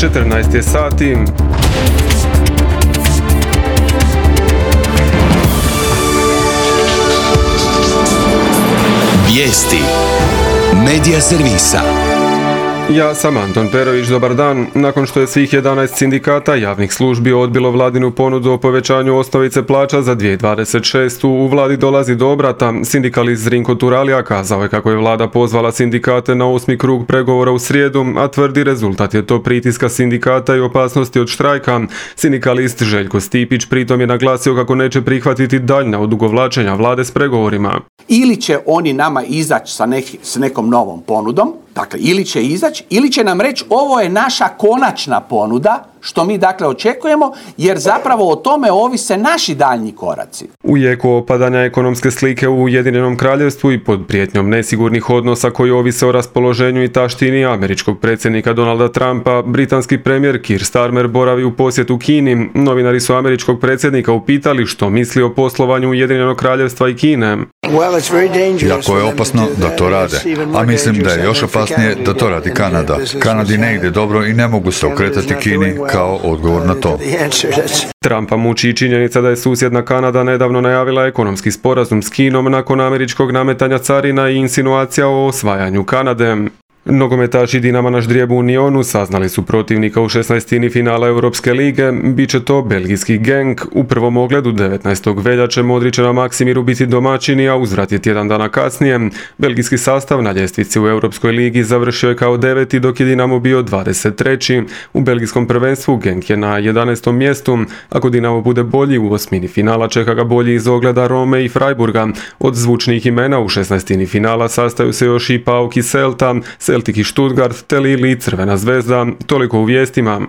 14 je sati. Vijesti Medija servisa. Ja sam Anton Perović, dobar dan. Nakon što je svih 11 sindikata javnih službi odbilo vladinu ponudu o povećanju osnovice plaća za 2026. u vladi dolazi do obrata. Sindikalist Zrinko Turalija kazao je kako je vlada pozvala sindikate na 8. krug pregovora u srijedu, a tvrdi rezultat je to pritiska sindikata i opasnosti od štrajka. Sindikalist Željko Stipić pritom je naglasio kako neće prihvatiti daljnja odugovlačenja vlade s pregovorima. Ili će oni nama izaći s nekom novom ponudom, dakle ili će izaći, ili će nam reći ovo je naša konačna ponuda, što mi dakle očekujemo, jer zapravo o tome ovise naši daljnji koraci. U jeku opadanja ekonomske slike u Ujedinjenom Kraljevstvu i pod prijetnjom nesigurnih odnosa koji ovise o raspoloženju i taštini američkog predsjednika Donalda Trumpa, britanski premijer Keir Starmer boravi u posjetu Kini. Novinari su američkog predsjednika upitali što misli o poslovanju Ujedinjenog Kraljevstva i Kine. Jako je opasno da to rade, a mislim da je još opasnije da to radi Kanada. Kanadi ne ide dobro i ne mogu se okretati Kini kao odgovor na to. Trumpa muči i činjenica da je susjedna Kanada nedavno najavila ekonomski sporazum s Kinom nakon američkog nametanja carina i insinuacija o osvajanju Kanade. Nogometaši Dinama na ždrijebu u Unionu saznali su protivnika u 16. finala Europske lige, bit će to belgijski Genk. U prvom ogledu 19. veljače Modrić će na Maksimiru biti domaćini, a uzvrat je tjedan dana kasnije. Belgijski sastav na ljestvici u Europskoj ligi završio je kao 9. dok je Dinamo bio 23. U belgijskom prvenstvu Genk je na 11. mjestu. Ako Dinamo bude bolji u osmini finala čeka ga bolji iz ogleda Rome i Freiburga. Od zvučnih imena u 16. finala sastaju se još i PAOK i Celta, Celtic i Stuttgart, te Lille i Crvena zvezda. Toliko u vijestima.